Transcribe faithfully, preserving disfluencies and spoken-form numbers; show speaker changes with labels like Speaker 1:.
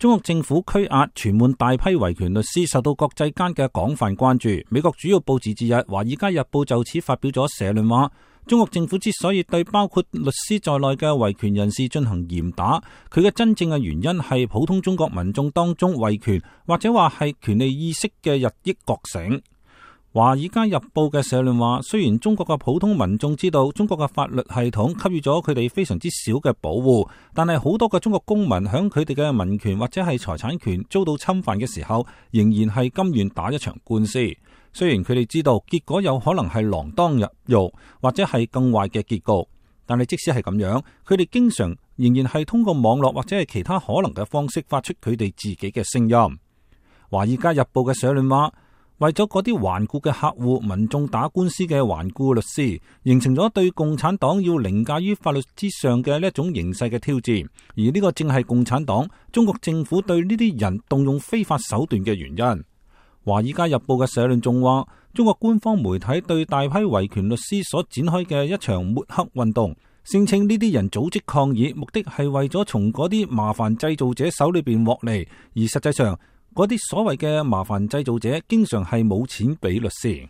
Speaker 1: 中國政府拘押傳喚大批維權律師，受到國際間嘅廣泛關注。美國主要報紙之一《華爾街日報》就此發表咗社論話，中國政府之所以對包括律師在內嘅維權人士進行嚴打，佢嘅真正嘅原因係普通中國民眾當中維權或者話係權利意識嘅日益覺醒。華爾街日報嘅社論話，雖然中國嘅普通民眾知道中國嘅法律系統給予咗佢哋非常之少嘅保護，但係好多嘅中國公民響佢哋嘅民權或者係財產權遭到侵犯嘅時候，仍然係甘願打一場官司。雖然佢哋知道結果有可能係鋃鐺入獄或者係更壞嘅結局，但係即使係咁樣，佢哋經常仍然係通過網絡或者係其他可能嘅方式發出佢哋自己嘅聲音。華爾街日報嘅社論話，為咗嗰啲頑固嘅客戶民眾打官司嘅頑固律師，形成咗對共產黨要凌駕於法律之上嘅呢一種形勢嘅挑戰，而呢個正係共產黨中國政府對呢啲人動用非法手段嘅原因。華爾街日報嘅社論仲話，中國官方媒體對大批維權律師所展開嘅一場抹黑運動，聲稱呢啲人組織抗議，目的係為咗從嗰啲麻煩製造者手裏邊獲利，而實際上嗰啲所謂嘅麻煩製造者經常係冇錢俾律師。